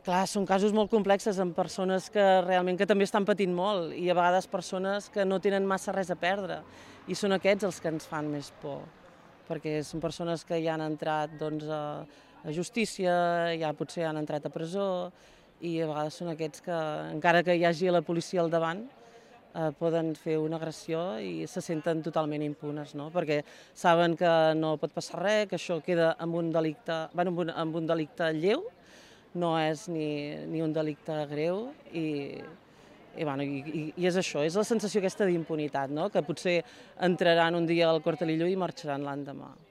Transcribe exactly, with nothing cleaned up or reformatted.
Clar, són casos molt complexes amb persones que realment que també estan patint molt i a vegades persones que no tenen massa res a perdre i són aquests els que ens fan més por, perquè són persones que ja han entrat doncs, a, a justícia, ja potser han entrat a presó i a vegades són aquests que, encara que hi hagi la policia al davant, eh, poden fer una agressió i se senten totalment impunes, no? Perquè saben que no pot passar res, que això queda amb un delicte, bueno, amb un, amb un delicte lleu, no és ni, ni un delicte greu i, i, bueno, i, i és això, és la sensació aquesta d'impunitat, no? Que potser entraran un dia al Cortelillo i marxaran l'endemà.